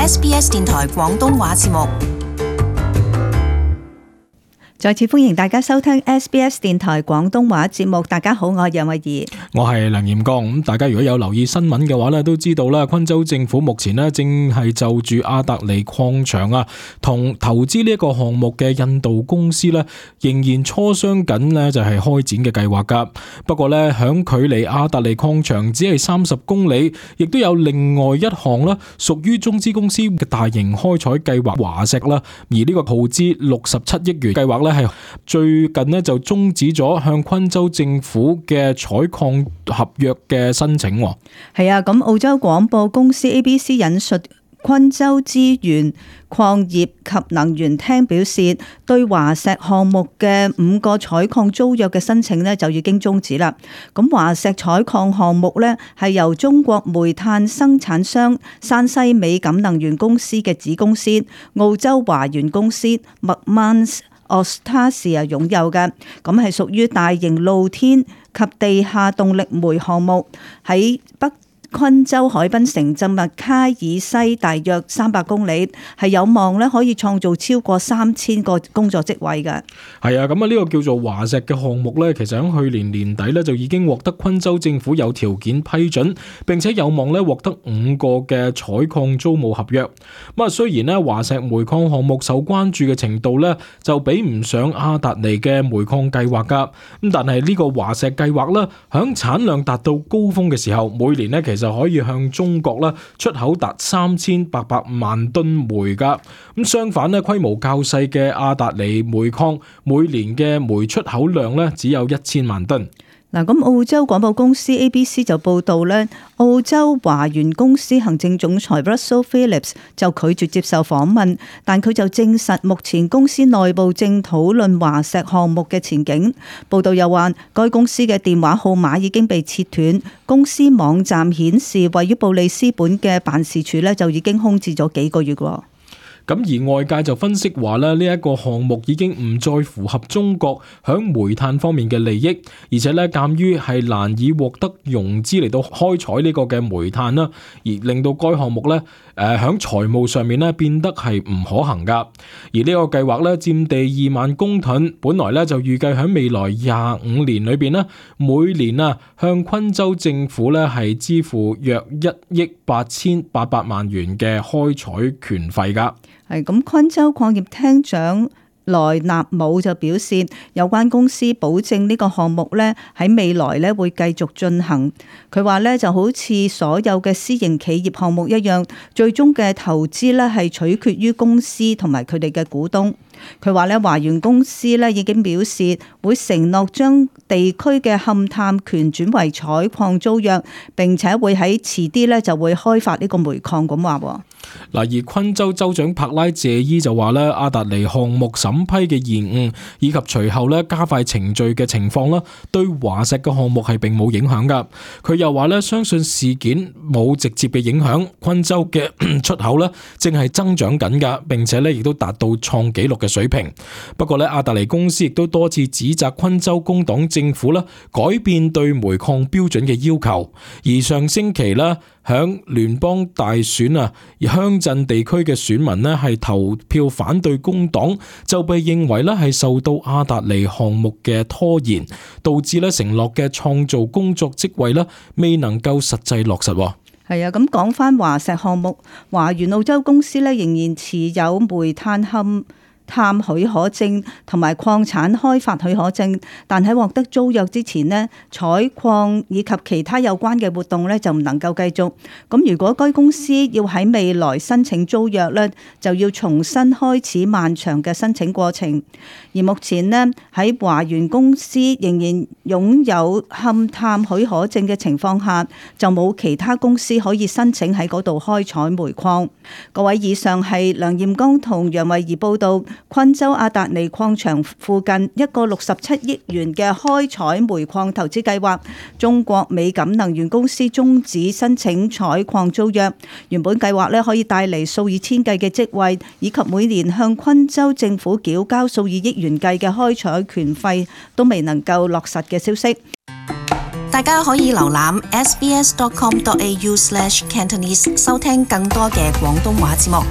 SBS 電台廣東話節目。再次歡迎大家收聽 SBS 電台廣東話節目。大家好，我係楊慧儀，我係梁炎剛。咁大家如果有留意新聞嘅話咧，都知道啦，昆州政府目前咧正係就住阿達尼礦場啊，同投資呢一個項目嘅印度公司咧，仍然磋商緊咧就係開展嘅計劃噶。不過咧，響距離阿達尼礦場只係30公里，亦都有另外一項啦，屬於中資公司嘅大型開採計劃華石啦。而呢個耗資67億元計劃咧，係最近呢就終止咗向昆州政府嘅採礦合約嘅申請。係啊，咁澳洲廣播公司 ABC 引述昆州資源礦業及能源廳表示，對華石項目嘅5個採礦租約嘅申請呢就已經終止啦。咁華石採礦項目呢係由中國煤炭生產商山西美感能源公司嘅子公司澳洲華源公司 McMahon Austrasia 擁有嘅，咁係屬於大型露天及地下動力煤項目，喺北昆州海濱城鎮麥卡爾西大約300公里，係有望咧可以創造超過3000個工作職位嘅。係啊，咁啊呢個叫做華石嘅項目咧，其實喺去年年底咧就已經獲得昆州政府有條件批准，並且有望咧獲得5個嘅採礦租務合約。咁啊，雖然咧華石煤礦項目受關注嘅程度咧就比唔上阿達尼嘅煤礦計劃噶，咁但係呢個華石計劃咧響產量達到高峰嘅時候，每年咧其實就可以向中國啦出口達3800萬噸煤噶。咁相反咧，規模較細嘅阿達尼煤礦每年嘅煤出口量咧只有1000萬噸。嗱，咁澳洲廣播公司 ABC 就報道咧，澳洲華源公司行政總裁 Russell Phillips 就拒絕接受訪問，但佢就證實目前公司內部正討論華石項目嘅前景。報道又話，該公司嘅電話號碼已經被切斷，公司網站顯示位於布里斯本嘅辦事處咧就已經空置咗幾個月喎。咁而外界就分析話咧，呢一個項目已經唔再符合中國響煤炭方面嘅利益，而且咧鑑於係難以獲得融資嚟到開採呢個嘅煤炭啦，而令到該項目咧響財務上面咧變得係唔可行噶。而呢個計劃咧佔地2萬公噸，本來咧就預計響未來25年裏邊咧，每年啊向昆州政府咧係支付約1億8800萬元嘅開採權費噶。係咁，昆州礦業廳長萊納姆就表示，有關公司保證呢個項目咧喺未來咧會繼續進行。佢話咧就好似所有嘅私營企業項目一樣，最終嘅投資咧係取決於公司同埋佢哋嘅股東。佢話咧華源公司咧已經表示會承諾將地區嘅勘探權轉為採礦租約，並且會喺遲啲咧就會開發呢個煤礦咁話。嗱，而昆州州長柏拉謝伊就話咧，阿達尼項目審批嘅延誤以及隨後咧加快程序嘅情況啦，對華石嘅項目係並冇影響噶。佢又話咧，相信事件冇直接嘅影響，昆州嘅出口咧正係增長緊噶，並且咧亦都達到創紀錄嘅水平。不過咧，阿達尼公司亦都多次指責昆州工黨政府啦改變對煤礦標準嘅要求，而上星期啦，響聯邦大選啊，鄉鎮地區嘅選民呢係投票反對工黨，就被認為咧係受到阿達尼項目嘅拖延，導致咧承諾嘅創造工作職位咧未能夠實際落實。係啊，咁講翻華石項目，華源澳洲公司咧仍然持有煤炭勘探許可證同埋礦產開發許可證，但喺獲得租約之前呢，採礦以及其他有關嘅活動咧就唔能夠繼續。咁如果該公司要喺未來申請租約咧，就要重新開始漫長嘅申請過程。而目前呢，喺華源公司仍然擁有勘探許可證嘅情況下，就冇其他公司可以申請喺嗰度開採煤礦。各位，以上係梁艷剛同楊慧儀報道。昆州阿達尼礦場附近一個67億元嘅開採煤礦投資計劃，中國美感能源公司終止申請採礦租約。原本計劃可以帶嚟數以千計嘅職位，以及每年向昆州政府繳交數以億元計嘅開採權費，都未能夠落實嘅消息。大家可以瀏覽 sbs.com.au/cantonese 收聽更多嘅廣東話節目。